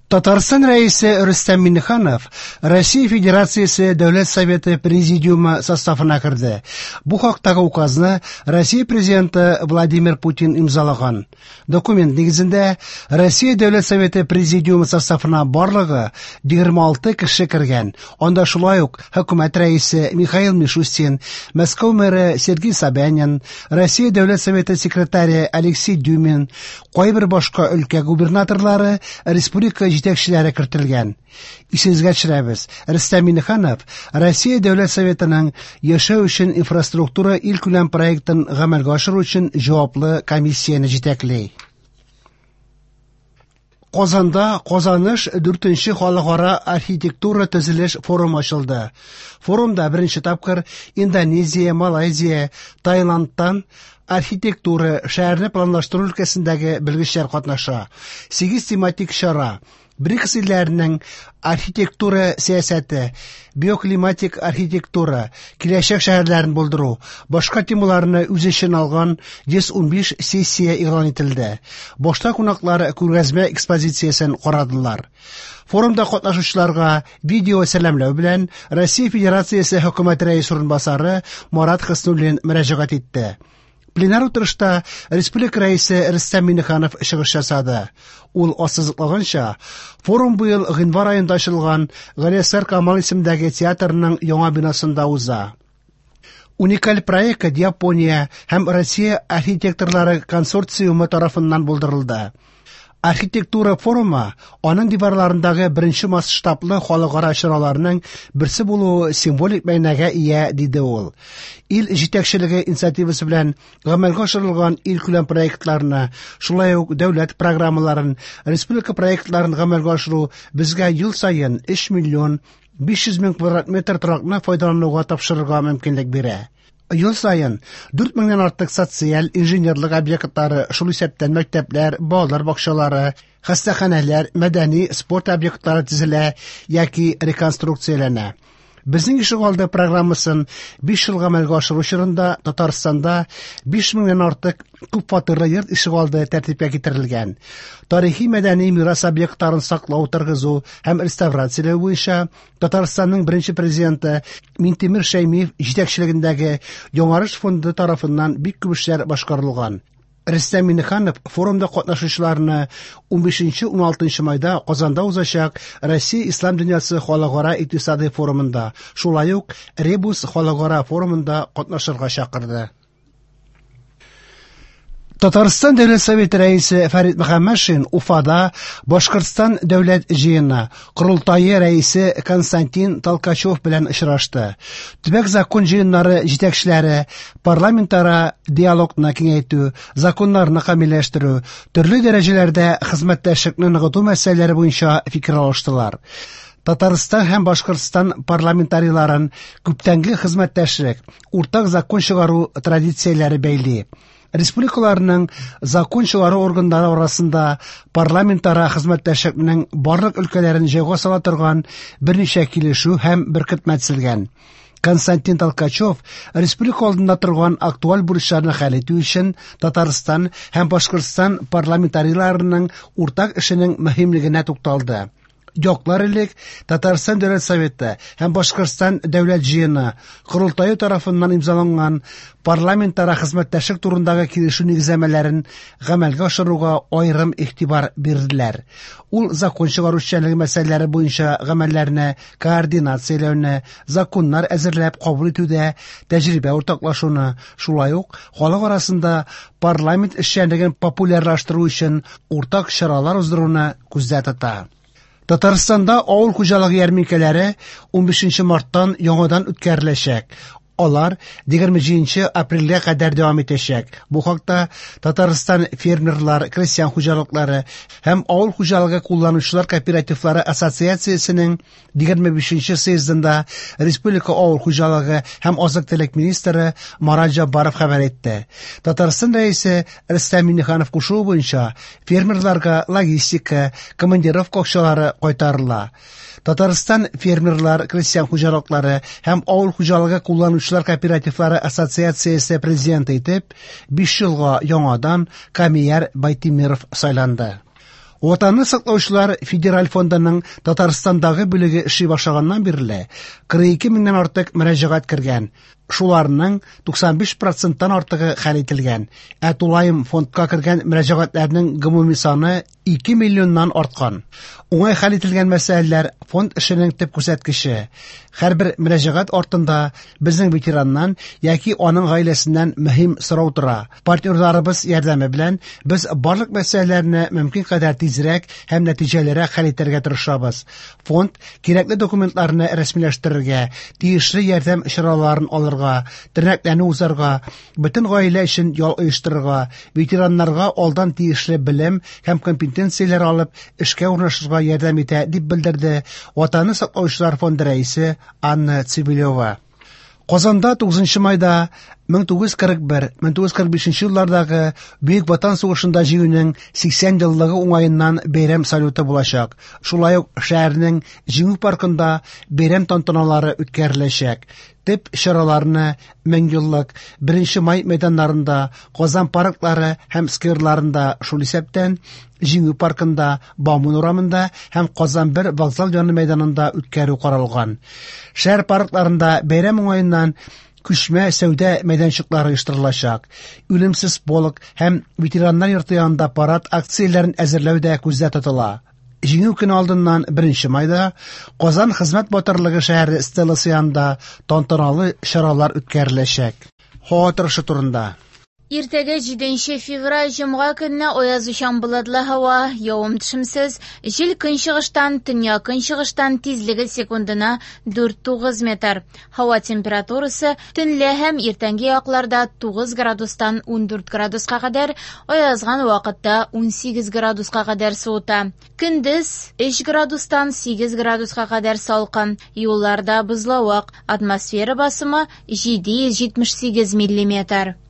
Татарстан Рәисе Рөстәм Миңнеханов Россия Федерациясе Дәүләт Советы Президиумы составына керде. Бу хактагы указны Россия Президенты Владимир Путин имзалаган. Документ нигезендә Россия Дәүләт Советы Президиумы составына барлыгы 26 кеше кергән. Анда шулай ук хөкүмәт рәисе Михаил Мишустин, Мәскәү мэры Сергей Собянин, Россия Дәүләт Советы секретаре Алексей Дюмин, кайбер башка өлкә губернаторлары, республика җитәкчеләре кертелгән. Исегезгә төшерәбез, Рөстәм Миңнеханов Россия Дәүләт Советының Яшәү өчен инфраструктура илкүләм проектын гамәлгә ашыру өчен җаваплы комиссияне җитәкли. Казанда Казаныш 4нче халыкара архитектура төзелеш форумы ачылды. Форумда беренче тапкыр Индонезия, Малайзия, Таиландтан архитектура, шәһәрне планлаштыру өлкәсендәге белгечләр катнаша. 8 тематик чара БРИКС илләренең архитектура сәясәте, биоклиматик архитектура, киләчәк шәһәрләрен булдыру, башка темаларны үз эченә алган 115 сессия игълан ителде. Башта кунаклар күргәзмә экспозициясен карадылар. Форумда катнашучыларга видео сәламләү белән Россия Федерациясе Хөкүмәте Рәисе урынбасары Марат Хөснуллин мөрәҗәгать итте. Пленар утырышта республика рәисе Рөстәм Миңнеханов чыгыш ясады. Ул ассызыклаганча, форум быел гыйнвар аенда ачылган Галиәсгар Камал исемендәге театрның яңа бинасында уза. Уникаль проект Япония һәм Россия архитекторлары консорциумы тарафыннан булдырылды. Архитектура форумы аның диварларындагы беренче масштаблы халыкара чараларның берсе булуы символик мәгънәгә ия, диде ул. Ил җитәкчелеге инициативасы белән гамәлгә ашырылган илкүләм проектларны, шулай ук дәүләт программаларын, республика проектларын гамәлгә ашыру безгә ел саен 3 миллион 500 мең квадрат метр торакны файдалануга тапшырырга мөмкинлек бирә. Ел саен 4 меңнән артык социаль, инженерлык объектлары, шул исәптән мәктәпләр, балалар бакчалары, хастаханәләр, мәдәни, спорт объектлары төзелә яки реконструкцияләнә. Безнең ишегалды программасын 5 ел гамәлгә ашыру чорында Татарстанда 5 меңнән артык күп фатирлы йорт ишегалды тәртипкә китерелгән. Тарихи мәдәни мирас объектларын саклау, торгызу һәм реставрацияләү буенча Татарстанның беренче президенты Минтимер Шәймиев җитәкчелегендәге Яңарыш фонды тарафыннан бик күп эшләр башкарылган. Рөстәм Миңнеханов форумда катнашучыларны 15-16 майда Казанда узачак Россия Ислам дөньясы халыкара икътисадый форумында, шулай ук Ребус халыкара форумында катнашырга чакырды. Татарстан Дәүләт Советы рәисе Фәрит Мөхәммәтшин Уфада Башкортстан Дәүләт җыены Корылтае рәисе Константин Толкачев белән очрашты. Төбәк закон җыеннары җитәкчеләре парламентара диалогны киңәйтү, законнарны камилләштерү, төрле дәрәҗәләрдә хезмәттәшлекне ныгыту мәсьәләләре буенча фикер алыштылар. Татарстан һәм Башкортстан парламентарийларын күптәнге хезмәттәшлек, уртак закон чыгару традицияләре бәйли. Республикаларның закон чыгару органнары арасында парламентара хезмәттәшлекнең барлык өлкәләрен җайга сала торган берничә килешү һәм беркетмә төзелгән. Константин Толкачев республика алдында торган актуаль бурычларны хәл итү өчен Татарстан һәм Башкортстан парламентарийларының уртак эшенең мөһимлегенә тукталды. Яклар элек Татарстан Дәүләт Советы һәм Башкортстан Дәүләт Җыены Корылтае тарафыннан имзаланган парламентара хезмәттәшлек турындагы килешү нигезләмәләрен гамәлгә ашыруга аерым игътибар бирделәр. Ул закон чыгару эшчәнлеге мәсьәләләре буенча гамәлләрне координацияләүне, законнар әзерләп кабул итүдә тәҗрибә уртаклашуны, шулай ук халык арасында парламент эшчәнлеген популярлаштыру өчен уртак чаралар уздыруны күздә тота. Татарстанда авыл хуҗалыгы ярминкәләре 15 марттан яңадан үткәреләчәк. Алар 27 апрельгә кадәр дәвам итәчәк. Бу хакта Татарстан фермерлар, крестьян хуҗалыклары һәм авыл хуҗалыгы кулланучылар кооперативлары ассоциациясенең 25 съездында республика авыл хуҗалыгы һәм азык-төлек министры Марат Җаббаров хәбәр итте. Татарстан рәисе Рөстәм Миңнеханов кушуы буенча фермерларга логистика, командировка акчалары кайтарыла. Татарстан фермерлар, крестьян хуҗалыклары һәм авыл хуҗалыгы кулланучылар кооперативлары ассоциациясе президенты итеп 5 елга яңадан Камияр Байтимиров сайланды. Ватанны саклаучылар федераль фондының Татарстандагы бүлеге эшли башлаганнан бирле 42 меңнән артык мөрәҗәгать кергән. Шуларның 95 проценттан артыгы хәл ителгән. Ә тулаем фондка кергән мөрәҗәгатьләрнең гомуми саны 2 миллионнан арткан. Уңай хәл ителгән мәсьәләләр фонд эшенең төп күрсәткече. Һәрбер мөрәҗәгать артында безнең ветераннан яки аның гаиләсеннән мөһим сорау тора. Партнерларыбыз ярдәме белән без барлык мәсьәләләрне мөмкин кадәр тизрәк һәм нәтиҗәлерәк хәл итәргә тырышабыз. Фонд кирәкле документларны рәсмиләштерергә, тиешле ярдәм чараларын алырга, тернәкләнү узарга, бөтен гаилә өчен ял оештырырга, ветераннарга алдан тиешле белем һәм компетенцияләр алып, эшкә урнашырга ярдәм итә, дип белдерде Ватанны саклаучылар фонды рәисе Анна Цивилева. Казанда 9 майда 1941-1945 еллардагы Бөек Ватан сугышында җиңүнең 80 еллыгы уңаеннан бәйрәм салюты булачак. Шулай ук шәһәрнең Җиңү паркында бәйрәм тантаналары үткәреләчәк. Төп чараларны Меңьеллык, 1 май мәйданнарында, Казан парклары һәм скверларында, шул исәптән Җиңү паркында, Бауман урамында һәм Казан 1 вокзал яны мәйданында үткәрү каралган. Шәһәр паркларында бәйрәм уңаеннан күчмә сәүдә мәйданчыклары оештырылачак. Үлемсез полк һәм ветераннар йорты янында парад акцияләрен әзерләү дә күздә тотыла. Җиңү көне алдыннан 1 майда Казан хезмәт батырлыгы шәһәре стеласы янында тантаналы чаралар үткәреләчәк. Һава торышы турында. Иртәгә 7 февраль җомга көнне аязучан болытлы һава, явым-төшемсез, җил көнчыгыштан, төньяк көнчыгыштан тизлеге секундына 4-9 метр. Һава температурасы төнлә һәм иртәнге якларда 9 градустан 14 градуска кадәр, аязган вакытта 18 градуска кадәр суыта. Көндез 3 градустан 8 градуска кадәр салкын, юлларда бозлавык, атмосфера басымы 778 миллиметр.